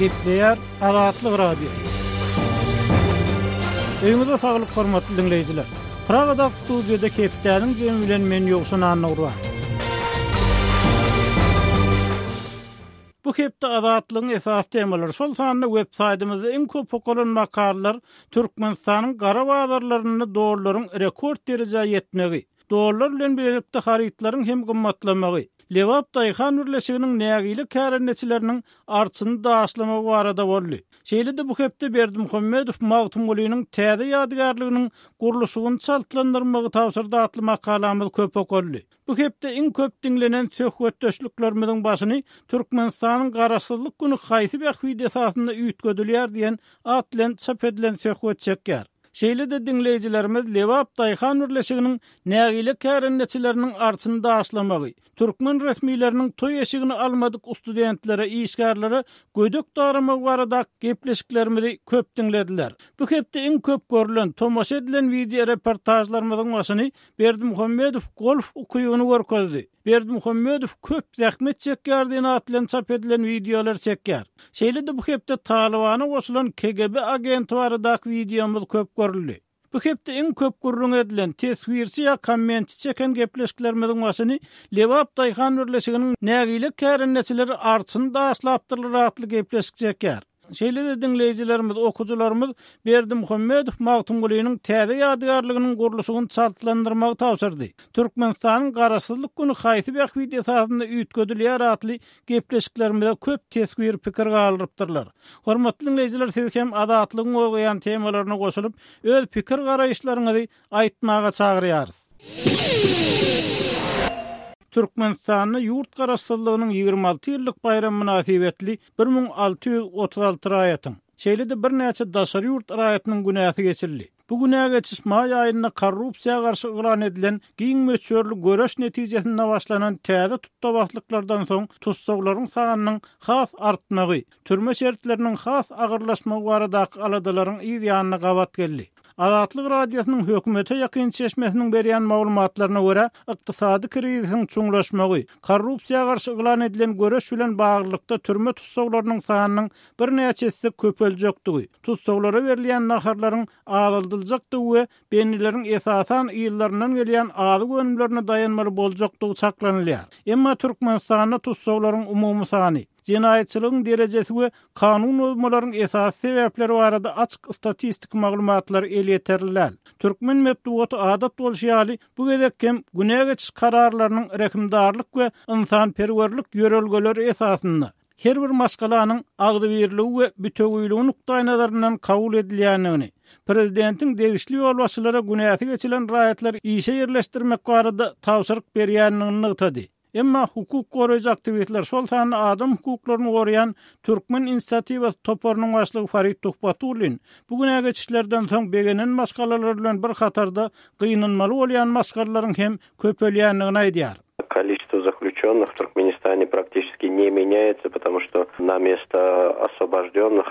Gepleýär Azatlyk Radiosy. Öýüňize saglyk hormatly diňleýjiler. Pragadaky studiýada hepdäniň jemi bilen men Ýowşan Annagurban. Bu hepde Azatlygyň esasy temalary, şol sanda web saýtymyzda iň köp okalan makalalar Türkmenistanyň gara bazarlarynda dollaryň rekord derejä ýetmegi, dollar bilen bilelikde harytlaryň hem gymmatlamagy, Lebap daýhan birleşiginiň nägile kärendeçileriniň arçyny daşlamagy barada boldy. Şeýle-de bu hepde Berdimuhamedow Magtymgulynyň täze ýadygärliginiň gurluşygyny çaltlandyrmagy tabşyrdy atly makalamyz köp okaldy. Bu hepde iň köp diňlenen söhbetdeşliklerimiziň başyny Türkmenistanyň Garaşsyzlyk güni haýsy bähbit esasynda üýtgedilýär diýen at bilen çap edilen söhbet çekýär. Şeýle-de diňleýjilerimiz Lebap daýhan birleşiginiň nägile kärendeçileriniň arçyny daşlamagy, türkmen resmileriniň toý eşigini almadyk studentlere, işgärlere gödek daramagy barada gepleşiklerimizi köp diňlediler. Bu hepde iň köp görlen, tomaşa edilen wideoreportažlarymyzyň başyny Berdimuhamedow golf ukybyny görkezdi. Berdimuhamedow köp zähmet çekýär diýen at bilen çap edilen wideolar çekýär. Şeýle-de bu hepde Talybana goşulan KGB agenti baradaky wideomyz köp görüldi. Bu hepde iň köp gürrüň edilen, teswirçi ýa kommentçi çeken gepleşiklerimiziň başyny Lebap daýhan birleşiginiň nägile kärendeçileri arçyny daşlapdyrlar atly gepleşik çekýär. Şeýle-de diňleýjilerimiz, okyjylarymyz Berdimuhamedow Magtymgulynyň täze ýadygärliginiň gurluşygyny çaltlandyrmagy tabşyrdy. Türkmenistanyň Garaşsyzlyk güni haýsy bähbit esasynda üýtgedilýär atly gepleşiklerimize köp teswir, pikir galdyrypdyrlar. Hormatly diňleýjiler siz hem Azatlygyň gozgaýan temalaryna goşulyp, öz pikir-garaýyşlaryňyzy aýtmaga çagyrýarys. Türkmenistanda ýurt Garaşsyzlygynyň 26 ýyllyk baýramy mynasybetli 1636 raýatyň, şeýle-de birnäçe daşary ýurt raýatynyň günäsi geçildi. Bu günä geçiş maý aýynda korrupsiýa garşy yglan edilen giň möçberli göreş netijesinde başlanan täze tutdabaslyklardan soň tussaglaryň sanynyň has artmagy, türme şertleriniň has agyrlaşmagy baradaky aladalaryň yz ýanyna gabat geldi. Azatlyk Radiosynyň hökümete ýakyn çeşmesiniň berýän maglumatlaryna görä, ykdysady krizisiň çuňlaşmagy, korrupsiýa garşy yglan edilen göreş bilen baglylykda türme tussaglarynyň sanynyň birnäçe esse köpeljekdigi, tussaglara berilýän naharlaryň azaldyljakdygy we bendileriň esasan yzlaryndan gelýän azyk önümlerine daýanmaly boljakdygy çaklanylýar. Emma Türkmenistanda tussaglaryň umumy sany, jenaýatçylygyň derejesi we kanun bozmalaryň esasy sebäpleri barada açyk statistiki maglumatlar elýeterli däl. Türkmen metbugaty adat bolşy ýaly, bu gezek hem günä geçiş kararlarynyň rehimdarlyk we ynsanperwerlik ýörelgeleri esasynda, her bir maşgalanyň agzybirligi we bitewiligi nukdaýnazaryndan kabul edilýändigini, prezidentiň degişli ýolbaşçylara günäsi geçilen raýatlary işe ýerleşdirmek barada tabşyryk berýändigini nygtady. Emma hukuk goraýjy aktiwistler, şol sanda adam hukuklaryny goraýan Türkmen inisiatiwasy toparynyň başlygy Farid Tuhbatullin bu günä geçişlerden soň begenen maşgalalar bilen bir hatarda gynanmaly bolýan maşgalalaryň hem köpelýändigini aýdýar. Количество заключенных в Туркменистане практически не меняется, потому что на место освобожденных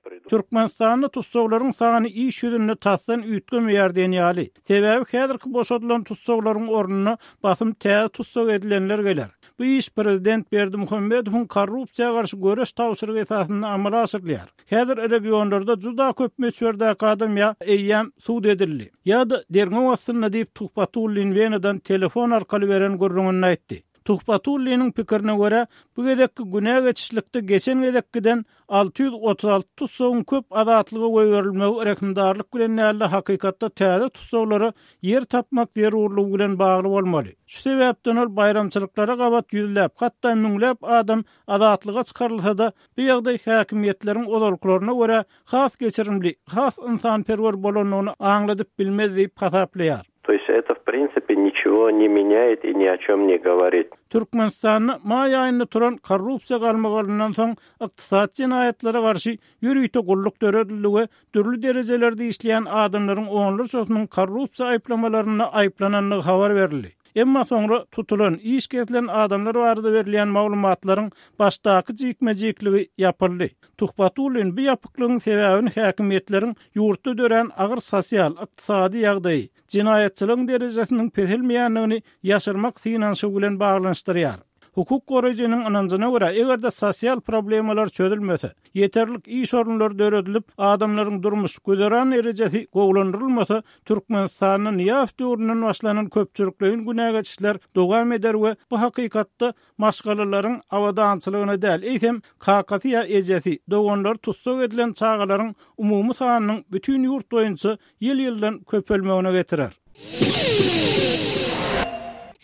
придут. Türkmenistanda tussaglaryň sany iş ýüzünde tasdan üýtgemeýär diýen ýaly. Sebäbi häzirki boşadylan tussaglaryň ornuna basym täze tussag edilenler geler. Bu iş prezident Berdimuhamedowyň korrupsiýa garşy göreş tabşyrygy esasynda amala aşyrylýar. Häzir regionlarda juda köp möçberdäki adam ýa eýýäm sud edildi, ýa-da derňew astynda diýip, Tuhbatullin Wenadan telefon arkaly beren gürrüňinde aýtdy. Tuhbatulliniň pikirine görä, bu gezekki günä geçişlikde geçen gezekkiden 636 tussagyň köp azatlyga goýberilmegi rehimdarlyk bilen däl-de, hakykatda täze tussaglara ýer tapmak zerurlygy bilen bagly bolmaly. Şu sebäpden ol baýramçylyklara gabat ýüzläp, hatda müňläp adam azatlyga çykarylsa-da, bu ýagdaý häkimiýetleriň ozalkylaryna görä has geçirimli, has ynsanperwer bolandygyny aňladyp bilmez diýip hasaplaýar. To ýest eto w prinsipe niçego ne menýaet i ni o çem ne goworit. Türkmenistanda maý aýynda turan korrupsiýa galmagalyndan soň ykdysady jenaýatlara garşy ýörite gulluk döredildi we dürli derejelerde işleýän adamlaryň onlarçasynyň korrupsiýa aýyplamalarynda aýyplanandygy habar berildi. Emma soňra tutulan, iş kesilen adamlar barada berilýän maglumatlaryň başdaky jikme-jikligi ýapyldy. Tuhbatullin bu ýapyklygyň sebäbini häkimiýetleriň ýurtda dörän agyr sosial, ykdysady ýagdaýy, jenaýatçylygyň derejesiniň peselmeýändigini ýaşyrmak synanyşygy bilen baglanyşdyrýar. Hukuk goraýjynyň ynanjyna görä, eger-de sosial problemalar çözülmese, ýeterlik iş orunlary döredilip, adamlaryň durmuş, güzeran derejesi gowulandyrylmasa, Türkmenistanda Nyýazow döwründen başlanan köpçülikleýin günä geçişler dowam eder we bu hakykatda maşgalalaryň abadançylygyna däl, eýsem, kakasy ýa ejesi, doganlary tussag edilen çagalaryň umumy sanynyň bütin ýurt boýunça ýyl-ýyldan köpelmegine getirer.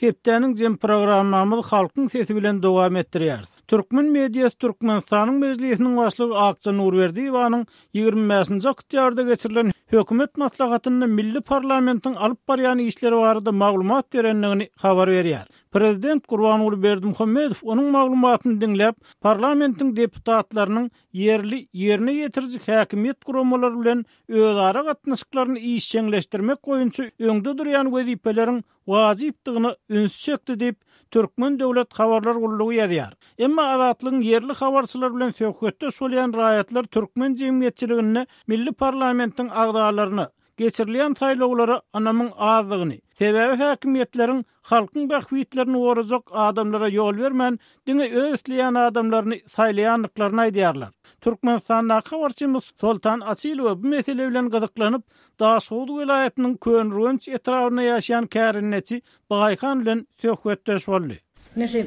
Hepdäniň jem programmamyzy Halkyň sesi bilen dowam etdirýäris. Türkmen mediasy Türkmenistanyň Mejlisiniň Başlygy Akja Nurberdiýewanyň 25-nji oktýabrda geçirilen Hökümet maslahatynda milli parlamentiň alyp barýan işleri barada maglumat berendigini habar berýär. Prezident Gurbanguly Berdimuhamedow onuň maglumatyny diňläp, parlamentiň deputatlarynyň ýerli ýerine ýetiriji häkimiýet guramalary bilen özara gatnaşyklaryny işjeňleşdirmek boýunça öňde durýan wezipeleriň wajypdygyna ünsi çekdi diýip, Türkmen döwlet habarlar gullugy ýazýar. Emma Azatlygyň ýerli habarçylary bilen söhbetdeş bolýan raýatlar türkmen jemgyýetçiliginde milli parlamentiň agzalaryna, geçirilýän saýlawlara ynamyň azdygyny, sebäbi häkimiýetleriň halkyň bähbitlerini gorajak adamlara ýol bermän, diňe öz isleýän adamlaryny saýlaýandyklaryny aýdýarlar. Türkmenistandaky habarçymyz Soltan Açylowa bu mesele bilen gyzyklanyp, Daşhowuz welaýatynyň Köneürgenç etrabynda ýaşaýan kärendeçi Baýhan bilen söhbetdeş boldy. Ine şu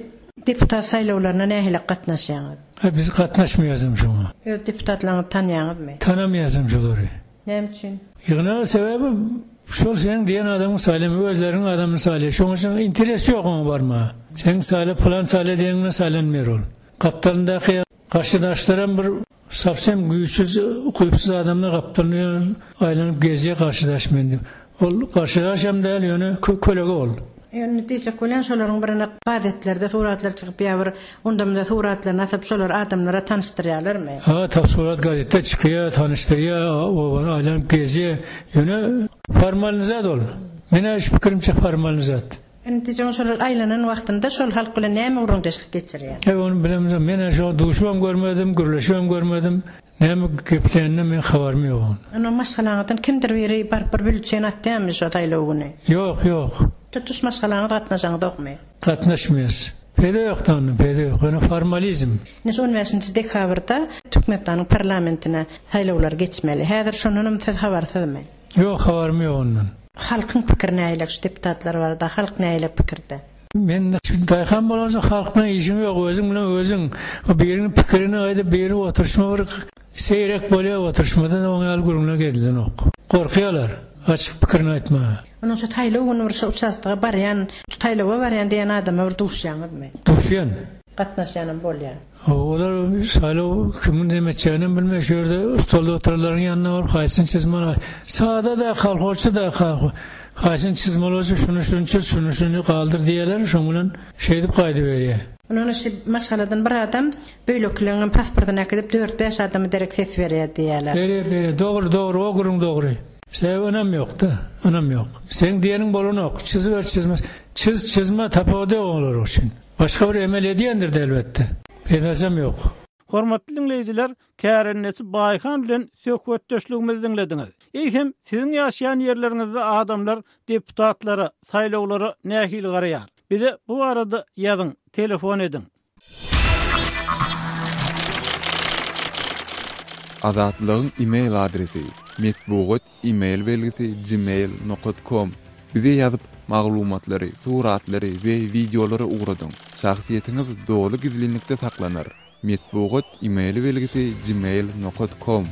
deputat saýlawlaryna nähili gatnaşýaňyz? Hä biz gatnaşmaýasam şoňa. Öz deputatlaryňyzy tanýaňyzmy? Tanamaýasam şolary. Näme üçin? Ýygnaga sebäbi şol seniň diýen adamyň saýlama özleriniň adamyny saýlaýar. Şoň üçin interes ýok oňa barmaga. Seň saýla pylan saýla diýeniň bilen saýlanmaýar ol. Gapdalyndaky garşydaşlaram bir sowsem güýçsüz, ukypsyz adamlar gapdalynda aýlanyp gezýär garşydaş men diýip. Ol garşydaşam däl ýöne kölege ol. Ýöne diýjek bolýan şolaryň birine gazetlerde suratlar çykyp ýa bir onda-munda suratlaryny asyp şolary adamlara tanyşdyrýarlarmy? Ha tap surat gazetde çykýa tanyşdyrýa obany aýlanyp gezýä ýöne formalny zat ol. Menä şu pikirimçe formalny zat. Indi diýjegim şolar aýlanan wagtynda şol halk bilen näme gürrüňdeşlik geçirýär? Eý ony bilemzok menä şoňa duşubam görmedim gürleşibem görmedim. Näme gepleýäninden meň habarym ýok oň. Onda maşgalaňyzdan kimdir biri baryp bir bülten atýarmy şo saýlaw güni? Ýok, ýok. Tutuş maşgalaňyz gatnaşaňzokmy? Gatnaşmaýas. Peýda ýok-da onda, peýda ýok. Ýöne formalizm. Ine şu on bäşinji dekabrda Türkmenistanyň parlamentine saýlawlar geçmeli. Häzir şondanam siz habarsyzmy? Ýok, habarym ýok ondan. Halkyň pikiri nähili şu deputatlar barada? Halk nähili pikirde? Men daýhan bolansoň halk bilen işim ýok, özüň bilen özüň. Biriniň pikirini aýdyp, biri oturyşma bir seýrek bolýar oturyşmada-da oň ýaly gürrüňler edilenok. Gorkýarlar açyk pikirini aýtmaga. Onuň şu saýlaw güni bir şu uçastoga barýan, saýlawa barýan diýen adama bir duşýaňyzmy? Duşýan. Gatnaşýanam bolýar. Olar saýlaw kimiň neme etjeginem bilmeýär, şu ýerde stolda oturanlaryň ýanyna baryp haýsyny çyzmaly, sada-da kolhozçy-da haýsyny çyzmaly bolsa şuny şuny çyz, şuny şuny galdyr diýýärler, şoň bilen şeýdip gaýdyberýär. Ondan şu maşgaladan bir adam beýlekileňem pasportyny äkidip dört-bäş adama derek ses berýär diýýärler. Berýär, berýär. Dogry, dogry, o gürrüň dogry. Sebäbi ynam ýok-da, ynam ýok. Seň diýeniň bolanok, çyzyber çyzma, çyz, çyzma tapawudy ýok olar üçin. Başga bir emel edýändir-de elbetde. Peýdasam ýok. Hormatly diňleýjiler, kärendeçi Baýhan bilen söhbetdeşligimizi diňlediňiz. Eýsem, siziň ýaşaýan ýerleriňizde adamlar deputatlara, saýlawlara nähili garaýar? Bize bu barada ýazyň, telefon ediň. Azatlygyň e-mail adresi, metbugat e-mail belgisi gmail nokat kom. Bize ýazyp, maglumatlary, suratlary we wideolary ugradyň. Şahsyýetiňiz doly gizlinlikde saklanar. Metbugat e-mail belgisi gmail nokat kom.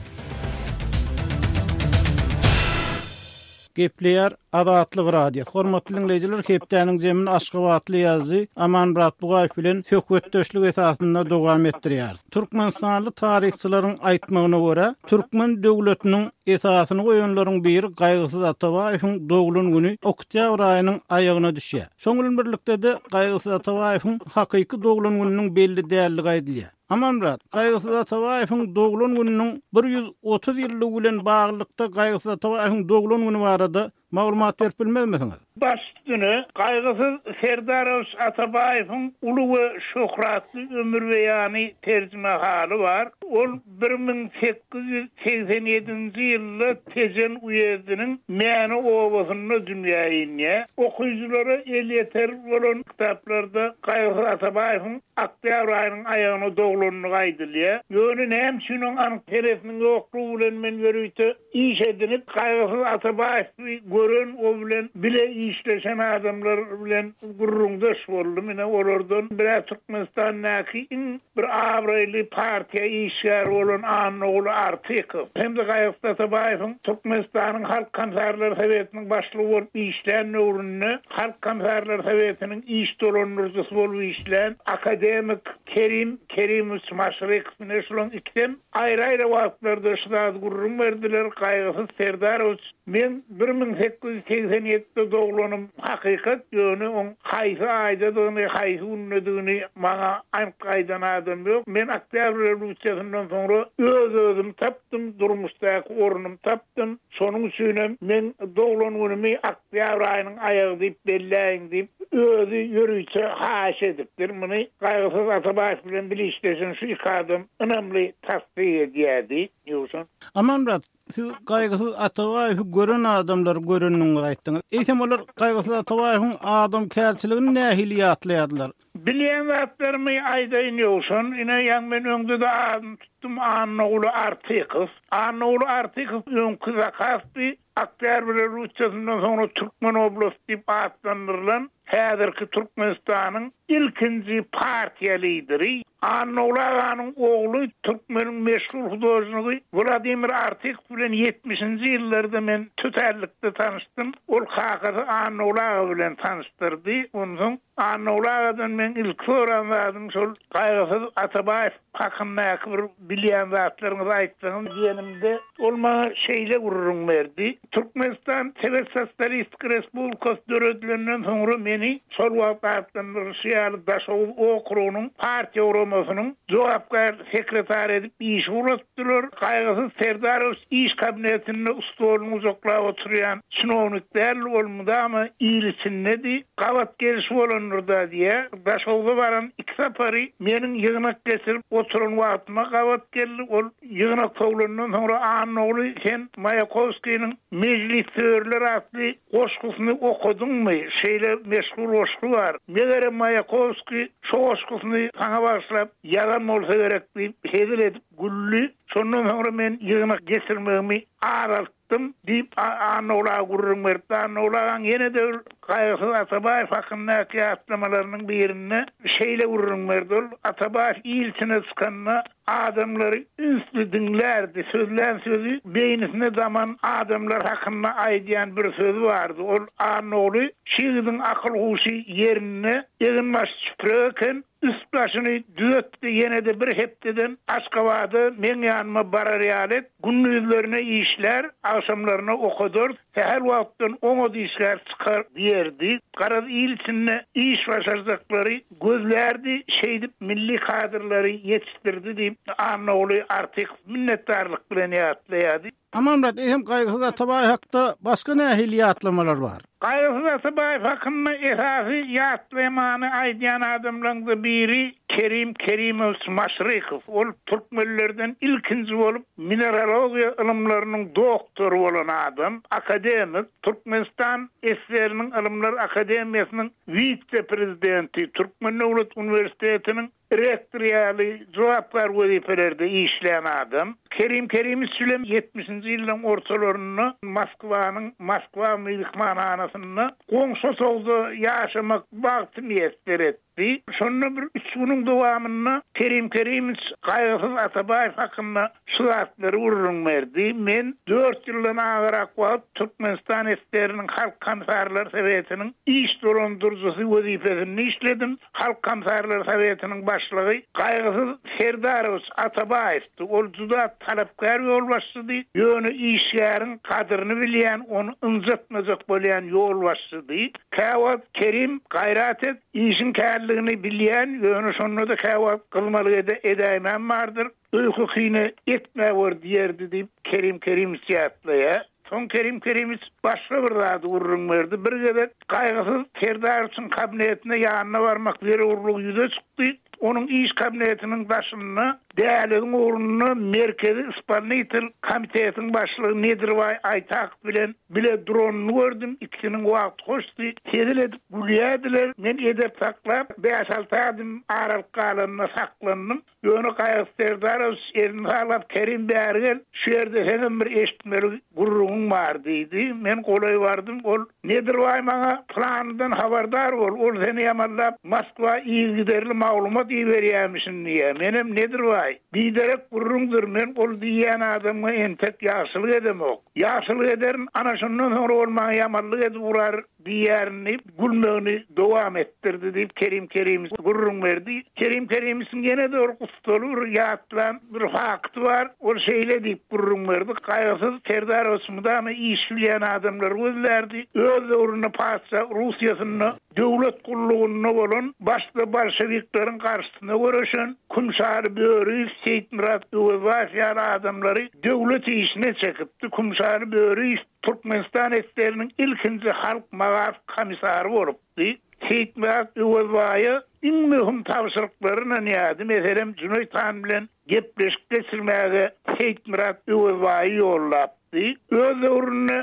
Gepleýär Azatlyk Radiosy. Hormatly diňleýjiler, hepdäniň jemini aşgabatly ýazyjy Amanmyrat Bugaýew bilen söhbetdeşlik esasynda dowam etdirýäris. Türkmenistanly taryhçylaryň aýtmagyna görä, türkmen döwletiniň esasyny goýanlaryň biri Gaýgysyz Atabaýewiň doglan güni oktýabr aýynyň aýagyna düşýär. Şoň bilen birlikde-de Gaýgysyz Atabaýewiň hakyky doglan gününiň belli däldigi aýdylýar. Amanmyrat, Gaýgysyz Atabaýewiň doglan gününiň 130 ýyllygy bilen baglylykda Gaýgysyz Atabaýewiň doglan güni barada. Maglumat berip bilmezmisiňiz? Baş üstüne, Gaýgysyz Serdarowiç Atabaýewiň uly we şöhratly ömürbeýany terjimehaly bar. Ol 1887-nji ýylda Tejen uýezdiniň Mäne obasynda dünýä inýär. Okyjylara elýeter bolan kitaplarda Gaýgysyz Atabaýewiň oktýabr aýynyň aýagyna doglandygy aýdylýar. Ýöne näme üçin oň anyk senesiniň ýoklugy bilen men ýörite iş edinip, Gaýgysyz Atabaýewi gören, o bilen bile işleşen adamlar bilen gürrüňdeş boldum. Ine, olardan bir-ä Türkmenistandaky iň bir abraýly partiýa işgäri bolan Annaguly Artykow hem-de Gaýgysyz Atabaýewiň Türkmenistanyň Halk Komissarlar Sowetiniň başlygy bolup işlän döwründe Halk Komissarlar Sowetiniň iş dolandyryjysy bolup işlän akademik Kerim Kerimowiç Maşrykow, ine, şularyň ikisem Aýry-aýry wagtlarda şu zady gürrüň berdiler, Gaýgysyz Serdarowiç, meň 1887-de doglanym hakykat, ýöne oň haýsy aýdadygyny, haýsy gündedigini maňa anyk aýdan adam ýok. Men Oktýabr rewolýusiýasyndan soňra öz-özümi tapdym, durmuşdaky ornumy tapdym. Şonuň üçinem meň doglan günümi oktýabr aýynyň aýagy diýip belläýiň diýip, özi ýörite haýyş edipdir. Muny Gaýgysyz Atabaýew bilen bile işleşen şu iki adam ynamly tassyk edýärdi. Ýowşan. Amanmyrat, siz Gaýgysyz Atabaýewi gören adamlary görendigiňizi aýtdyňyz. Eýsem olar Gaýgysyz Atabaýewiň adamkärçiligini nähili ýatlaýardylar? Bilýän zatlarymy aýdaýyn Ýowşan, ine ýaňy men öňde-de adyny tutdum Annaguly Artykow. Annaguly Artykow öňki Zakaspi Oktýabr rewolýusiýasyndan soňra Türkmen oblasty diýip atlandyrylan häzirki Türkmenistanyň ilkinji partiýa lideri. Annaguly aganyň ogly türkmeniň meşhur hudožnigi Wladimir Artykow bilen ýetmişinji ýyllarda men tötänlikde tanyşdym. Ol kakasy Annaguly aga bilen tanyşdyrdy. Onsoň Annaguly agadan meň ilki soran zadym şol Gaýgysyz Atabaýew hakyndaky bir bilýän zatlaryňyzy aýtsaňyz diýenimde, ol maňa şeýle gürrüň berdi, Türkmenistan Sowet Sosialistik Respublikasy döredilenden soňra meni şol wagt atlandyrylyşy ýaly Daşoguz okrugynyň partiýa guramasynyň jogapkär sekretary edip işe ugratdylar. Gaýgysyz Serdarowiç iş kabinetinde stoluny gujaklap oturýan çinownik däldi, ol mydama il içindedi. Gabat geliş bolandyr-da diýýär. Daşogza baran iki sapary meniň ýygnak geçirip oturan wagtyma gabat geldi. Ol ýygnak sowlandan soňra Annaguly sen Maýakowskiniň Mejlissöýerler atly goşgusyny okadyňmy? Şeýle meşhur goşgy bar. Megerem Maýakowskiý şo goşgusyny saňa bagyşlap ýazan bolsa gerek diýip hezil edip güldi. Şondan soňra men ýygnak geçirmegimi azaltdym. Diýip, Annaguly aga gürrüň beripdi. Annaguly agaň ýene-de bir Gaýgysyz Atabaýew hakyndaky ýatlamalarynyň birinde şeýle gürrüň berdi, Ol Atabaýew il içine çykanda adamlary ünsli diňlärdi. Sözlän sözi beýnisine daman adamlar hakynda aýdýan bir sözi bardy. Ol Annaguly şu ýigidiň akyl-huşy ýerinde, egin-başy çüprek eken. Üst-başyny düzetdi, ýene-de bir hepdeden Aşgabada meň ýanyma barar ýaly et, gündizlerine işlär, agşamlaryna okadar, sähel wagtdan oňat işgär çykar diýerdi. Garaz, il içinde iş başarjaklary gözlärdi, şeýdip milli kadrlary ýetişdirdi diýip, Annaguly Artykow minnetdarlyk bilen ýatlaýardy. Amanmyrat, eýsem Gaýgysyz Atabaýew hakda başga nähili ýatlamalar bar? Gaýgysyz Atabaýew hakynda esasy ýatlamany aýdýan adamlaryň-da biri Kerim Kerimowiç Maşrykow. Ol türkmenlerden ilkinji bolup mineralogiýa ylymlarynyň doktory bolan adam, akademik, Türkmenistan SSR-niň Ylymlar akademiýasynyň wise-prezidenti, Türkmen döwlet uniwersitetiniň Rektor ýaly jogapkär wezipelerde işlän adam. Kerim Kerimowiç bilen ýetmişinji ýyllaryň ortalarynda Moskwanyň Moskwa myhmanhanasynda goňşy otagda ýaşamak bagty miýesser etdi. Şonda bir üç günüň dowamynda Kerim Kerimowiç Gaýgysyz Atabaýew hakynda şu zatlary gürrüň berdi, Men dört ýyldan agarak wagt Türkmenistan SSR-niň Halk Komissarlar Sowetiniň iş dolandyryjysy wezipesinde işledim. Halk Komissarlar Sowetiniň başlygy Gaýgysyz Serdarowiç Atabaýewdi. Ol juda talapkär ýolbaşçydy, ýöne işgäriň gadyryny bilýän, ony ynjatmajak bolýan ýolbaşçydy. Käwagt Kerim, gaýrat et, işiň kärligini bilýän, ýöne şonda-da käwagt gyzmalyk edäýmäm bardyr, öýke-kine etmäwer diýerdi diýip, Kerim Kerimowiç ýatlaýar. Soň Kerim Kerimiç başga bir zady gürrüň berdi. Bir gezek Gaýgysyz Serdarowiçiň kabinetine ýanyna barmak zerurlygy ýüze çykdy. Onuň iş kabinetiniň daşynda däliziň ugrunda Merkezi ispolnitel komitetiň başlygy Nedirbaý Aýtakow bilen bile duranyny gördüm. Ikisiniň wagty hoşdy. Hezil edip gülýärdiler. Men edep saklap, bäş-alty adym aralyk galanda saklandym. Ýöne Gaýgysyz Serdarowiç elini saglap, Kerim bäri gel, şu ýerde seňem bir eşitmeli gürrüňiň bar diýdi. Men golaý bardym. Ol, Nedirbaý maňa planydan habardar bol, ol seni ýamanlap Moskwa yzygiderli maglumat iberýämişin diýýär. Menem, Nedirbaý, biderek gürrüňdir, men ol diýýän adamyňa entek ýagşylyk edemok. Ýagşylyk ederin, ana şondan soňra ol maňa ýamanlyk edip urar. Diýýärin diýip, gülmegini dowam etdirdi diýip, Kerim Kerimowiç gürrüň berdi. Kerim Kerimowiçiň ýene-de bir gussaly bir ýatlan bir fakty bar. Ol şeýle diýip gürrüň berdi, Gaýgysyz Serdarowiç mydama iş bilýän adamlary gözlärdi. Öz döwründe patyşa Russiýasynda döwlet gullugynda bolan, başda bolşewikleriň garşysyna göreşen Kümşaly Böriýew, Seýitmyrat Öwezbaýew ýaly adamlary döwlet işine çekipdi. Kümşaly Böriýew Türkmenistan SSR-niň ilkinji halk magaryf komissary bolupdy. Seýitmyrat Öwezbaýa iň möhüm tabşyryklary ynanýardy, meselem, Jüneýit han bilen gepleşik geçirmäge Seýitmyrat Öwezbaýy ýollapdy. Öz döwründe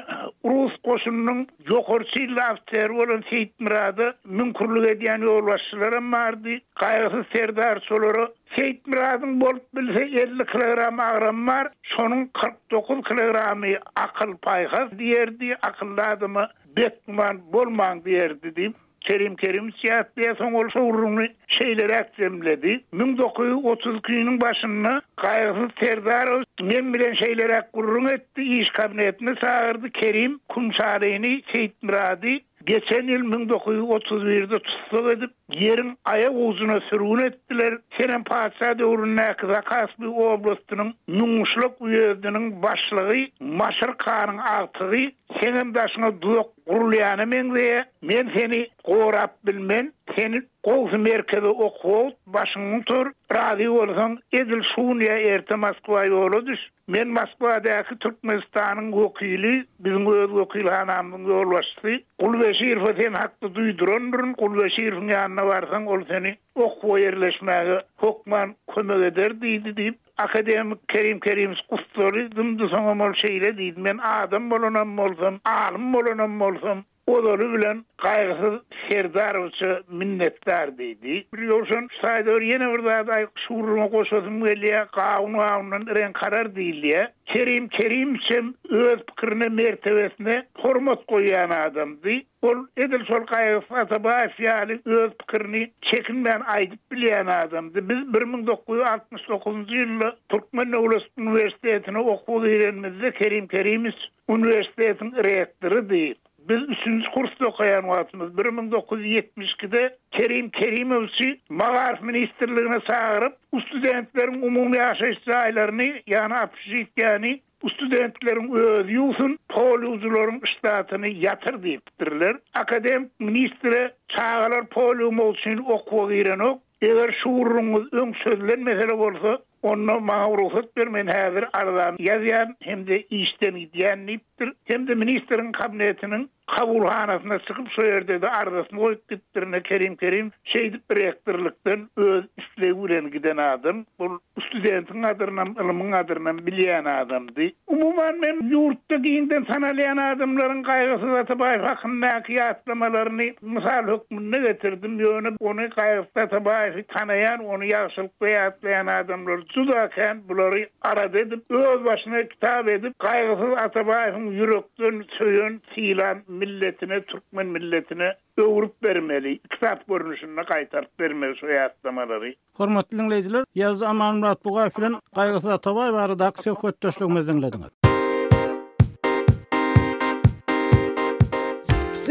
rus goşunynyň ýokary çinli ofiseri bolan Seýitmyrada müňkürlik edýän ýolbaşçylaram bardy. Gaýgysyz serdar şolara Seýitmyradyň bolup bilse 50 kilogram agramy bar, şonuň 49 kilogramy akyl-paýhas diýerdi, akylly adama betgüman bolmaň diýerdi diýip, Kerim Kerimowiç ýatlaýar, soň ol şo gürrüňini şeýleräk jemledi, 1932-niň başynda Gaýgysyz Serdarowiç men bilen şeýleräk gürrüň etdi, iş kabinetine çagyrdy, Kerim, Kümşalyny, Seýitmyrady Geçen ýyl 1931-de tussag edip, ýeriň aýak ujuna sürgün etdiler. Senem patyşa döwründäki Zakaspi oblastynyň Müňgyşlak uýezdiniň başlygy Maşryk hanyň agtygy, seňem daşyňa duzak gurulýana meňzeýä. Men seni gorap bilmen, seni gowsy merkeze okuwa başyňy gutar, razy bolsaň, edil şu gün ýa erte Moskwa ýola düş. Men Moskwadaky Türkmenistanyň wekili, biziň öz wekilhanamyzyň ýolbaşçysy Gulbeşirowa sen hakda duýdurandyryn, Gulbeşirowyň ýanyna barsaň, ol seni okuwa ýerleşmäge hökman kömek eder diýdi diýip, akademik Kerim Kerimowiç gussaly dymdy, soňam ol şeýle diýdi, Men adam bolanam bolsam, alym bolanam bolsam, Ozaly bilen Gaýgysyz Serdarowiçe minnetdar diýdi. Bir Ýowşan şu taýda bir ýene bir zady aýyk şu gürrüňe goşasym gelýär, gawun gawundan reňk arar diýilýär. Kerim Kerimowiçem öz pikirine, mertebesine hormat goýýan adamdy. Ol edil şol Gaýgysyz Atabaýew ýaly öz pikirini çekinmän aýdyp bilýän adamdy. Biz 1969-njy ýylda Türkmen döwlet uniwersitetine okuwa girenimizde Kerim Kerimowiç Uniwersitetiň rektorydy. Biz üçünji kursda okaýan wagtymyz, 1972-de Kerim Kerimowiçi Magaryf ministrligine çagyryp, studentleriň umumy ýaşaýyş jaýlaryny, ýagny obşežitiýäni studentleriň özi ýuwsun, pol ýuwujylaryň ştatyny ýatyr diýipdirler. Akademik ministre çagalar pol ýuwmak üçin okuwa girenok, Eger şu gürrüňiňiz öň çözülen mesele bolsa, onda maňa rugsat ber, men häzir arzany ýazýan hem-de işden gidýän diýipdir. Hem-de ministriň kabinetiniň kabulhanasyna çykyp, şo ýerde-de arzasyny goýup gidipdir. Ine, Kerim Kerimow şeýdip rektorlykdan öz islegi bilen giden adam. Ol studentiň gadyrynam, ylmyň gadyrynam bilýän adamdy. Umuman, men ýurtda giňden tanalýan adamlaryň Gaýgysyz Atabaýew hakyndaky ýatlamalaryny mysal hökmünde getirdim. Ýöne ony Gaýgysyz Atabaýewi tanaýan, ony ýagşylykda ýatlaýan adamlar juda kän. Bulary arada edip, öz başyna kitap edip, Gaýgysyz Atabaýewiň ýürekden söýen, sylan milletine, türkmen milletine öwrüp bermeli, kitap görnüşinde gaýtaryp bermeli şo ýatlamalary. Hormatly diňleýjiler, ýazyjy Amanmyrat Bugaýew bilen Gaýgysyz Atabaýew baradaky söhbetdeşligimizi diňlediňiz.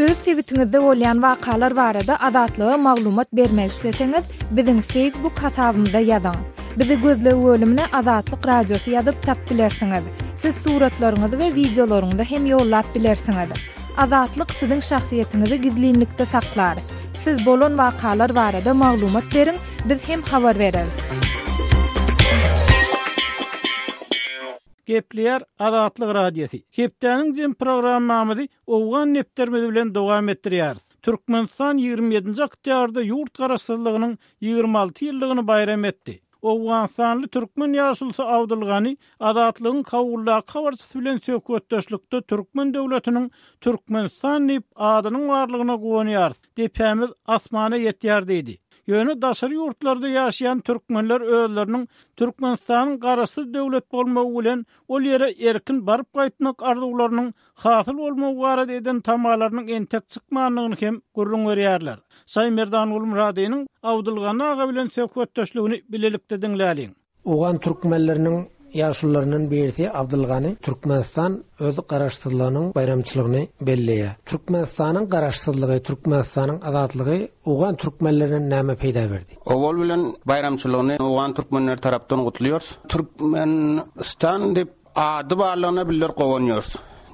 Öz sebitiňizde bolýan wakalar barada Azatlyga maglumat bermek isleseňiz, biziň Facebook hasabymyza ýazyň. Bizi gözleg bölümine Azatlyk Radiosy ýazyp tap bilersiňiz. Siz suratlaryňyzy we wideolaryňyzy hem ýollap bilersiňiz. Azatlyk siziň şahsyýetiňizi gizlinlikde saklar. Siz bolan wakalar barada maglumat beriň, biz hem habar bereris. Gepleýär Azatlyk Radiosy. Hepdäniň jem programmamyzy Owgan depderimiz bilen dowam etdirýäris. Türkmenistan 27-nji oktýabrda ýurt garaşsyzlygynyň 26 ýyllygyny baýram etdi. Owganystanly türkmen ýaşulusy Abdulgani Azatlygyň Kabuldaky habarçysy bilen söhbetdeşlikde türkmen döwletiniň Türkmenistan diýip adynyň barlygyna guwanýarys, depämiz asmana ýetýär diýdi. Ýöne daşary ýurtlarda ýaşaýan türkmenler özleriniň Türkmenistanyň garaşsyz döwlet bolmagy bilen ol ýere erkin baryp gaýtmak arzuwlarynyň hasyl bolmagy barada eden tamalarynyň entek çykmandygyny hem gürrüň berýärler. Şaýmerdan Gulmyradynyň Abdylgany aga bilen söhbetdeşligini bilelikde diňläliň. Owgan türkmenleriniň ýaşulularyndan birisi Abdylgany Türkmenistan öz garaşsyzlygynyň baýramçylygyny belleýär. Türkmenistanyň garaşsyzlygy, Türkmenistanyň azatlygy owgan türkmenlerine näme peýda berdi? Owal bilen baýramçylygyny owgan türkmenleri tarapdan gutlaýarys. Türkmenistan diýip Ady barlygyna bizler guwanýarys.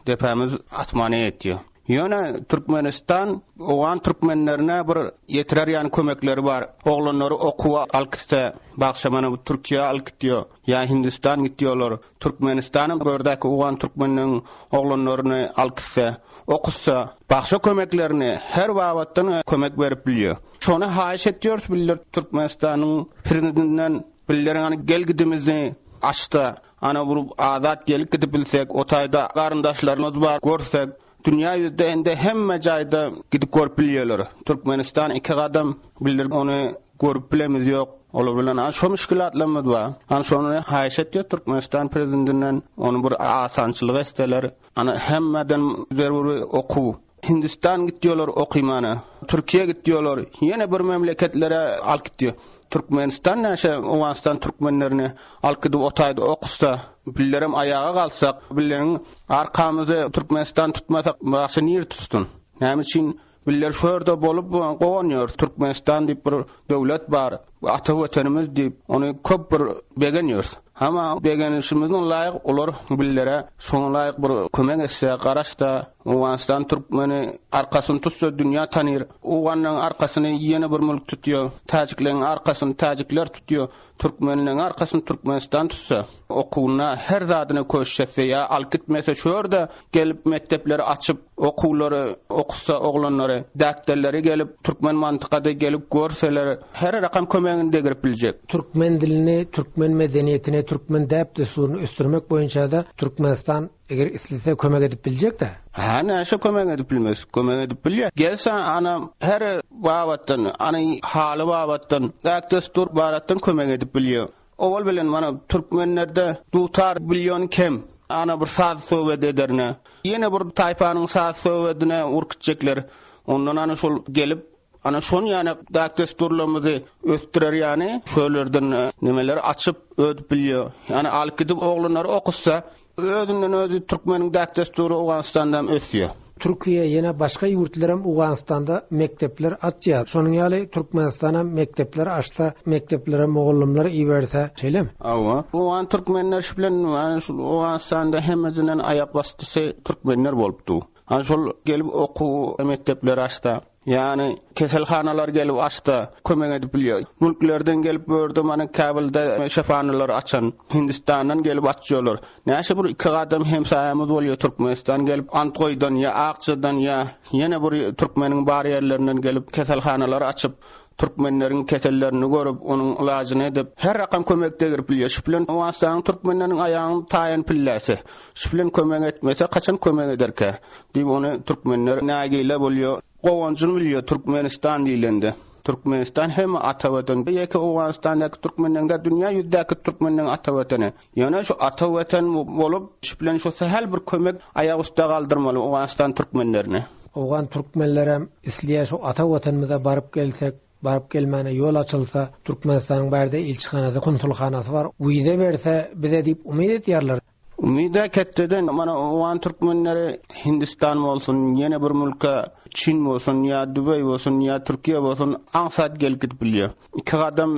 Depämiz asmana ýetýär. Ýöne Türkmenistan owgan türkmenlerine bir ýetirer ýaly kömekleri bar. Oglanlary okuwa alyp gitse, bagşa mana bu Türkiýä alyp gitýär, ýa Hindistan gitýärler. Türkmenistanam bu ýerdäki owgan türkmeniniň oglanlaryny alyp gitse, okutsa, bagşa kömeklerini her babatdan kömek berip bilýär. Şony haýyş etýäris bizler Türkmenistanyň Prezidentinden bizleriň hany gel gidimizi açsa, Ana bir azat gelip gidip bilsek, o taýda garyndaşlarymyz bar, görsek, dünýä ýüzde indi hemme jaýda gidip görüp bilýärler. Türkmenistan iki gadam, bizler ony görüp bilemiz ýok. Olar bilen ana şo müşgülatlarymyz bar. Ana şony haýyş etýäs Türkmenistan prezidendinden, ony bir asançylyk etseler. Ana hemmeden zerury okuw. Hindistan gitýolar okymana, Türkiýe gitýolar, ýene bir memleketlere alyp gitýo. Türkmenistan näşe Owganystan türkmenlerini alyp gidip o taýda okutsa, bizlerem aýaga galsak, bizleriň arkamyzy Türkmenistan tutmasa başga nir tutsun? Näme üçin Bizler şu ýerde bolup guwanýarys, Türkmenistan diýip bir döwlet bar, ata Watanymyz diýip, ony köp bir begenýäris. Emma begenişimiziň laýyk olar bizlere şoňa laýyk bir kömek etse, garaşsa, Owganystan türkmeni arkasyny tutsa dünýä tanyr. Owganlaryň arkasyny ýene bir mülk tutýar, täjikleriň arkasyny täjikler tutýar. Türkmenleň arkasyny Türkmenistan tutsa, okuwyna her zadyna köşüş etse ýa alyp gitmese şu ýerde gelip mekdepleri açyp okuwlary okutsa oglanlary däkderleri gelip türkmen mantykada gelip görseler her rakam kömegini degirip biljek. Türkmen dilini, türkmen medeniýetini, türkmen däp-dessuryny ösdürmek boýunça-da Türkmenistan Eger islese kömek edip biljek-dä. Hä, näşe kömek edip bilmez? Kömek edip bilýär. Gelse, ana, her babatdan, ana, haly babatdan, däp-dessur baratdan kömek edip bilýär. Owal bilen, mana, türkmenlerde dutar bilýän kem. Ana, bir saz-söhbet ederine. Ýene bir taýpanyň saz-söhbedine urkitjekler. Ondan, ana, şol gelip, ana, şon ýaly däp-dessurlarymyzy ösdürer ýaly, şölerden nemeleri açyp, ödüp bilýär. Ýagny, alyp gidip oglanlary okutsa, Özünden özi türkmeniň däp-dessury Owganystanda hem ösýär. Türkiýe ýene başga ýurtlaram Owganystanda mekdepler açýar. Şonuň ýaly Türkmenistanam mekdepler açsa, mekdeplere mugallymlar iberse, şeýlemi? Hawa. Owgan türkmenler şu bilen ana şul Owganystanda hemmesinden aýak basdysy türkmenler bolupdy. Ana şol gelip okuw mekdepleri açsa. Ýagny keselhanalar gelip açsa kömek edip bilýär. Mülklerden gelip bu ýerde mana Kabulda şyphanalary açan, Hindistandan gelip açýarlar. Näçe bir iki gadam hemsaýamyz bolýar Türkmenistan gelip Antgoýdan ýa Akjadan ýa ýene bir türkmeniň bar ýerlerinden gelip keselhanalary açyp türkmenleriň kesellerini görüp onuň ylajyny edip her rakam kömek degirip bilýär. Şu bilen Owganystanyň türkmenleriniň aýagyny taýan pilläsi. Şu bilen kömek etmese kaçan kömek ederkä? Diýip ony türkmenler nägile bolýar. Guwanjyny bilýär Türkmenistan diýlende. Türkmenistan hem ata watan. Ýeke Owganystandaky türkmenleň däl dünýä ýüzdäki türkmenleň ata watany. Ýöne şu ata watan bolup şu bilen şu sähel bir kömek aýak üste galdyrmaly Owganystan türkmenlerini. Owgan türkmenlerem isleýär şu ata watanymyza baryp gelsek, baryp gelmäne ýol açylsa, Türkmenistanyň bärde ilçihanasy, konsulhanasy bar, wiza berse bize diýip umyt edýärler. Umyda ketdeden mana owgan türkmenleri Hindistan bolsun ýene bir mülke Çin bolsun ýa Dubeý bolsun ýa Türkiýe bolsun aňsat gelip gidip bilýär. Iki gadam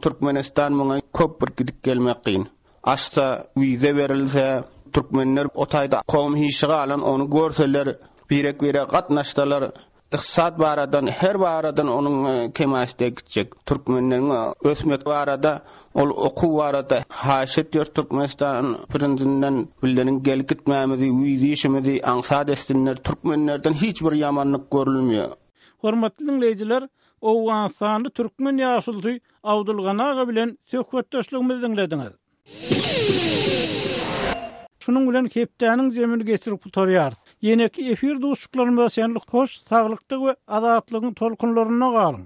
Türkmenistan muňa köp bir gidip gelmek kyn. Açsa wiza berilse türkmenler o taýda kowum hişi galan ony görseler birek birege gatnaşsalar. Ykdysat baradan her baradan onuň kemaşde gitjek. Türkmenleriň ösmek barada ol okuw barada haýyş etýär Türkmenistan prinzinden billeriň gelip gitmämizi wiza işimizi aňsat etsinler türkmenlerden hiç bir ýamanlyk görülmeýär. Hormatly diňleýjiler, Owganystanly türkmen ýaşulusy Abdulgany aga bilen söhbetdeşligimizi diňlediňiz. Şunuň bilen hepdäniň jemini geçirip gutarýarys. Ýeneki efir duşuşyklarymyza çenli hoş saglykda we azatlygyň tolkunlarynda galyň!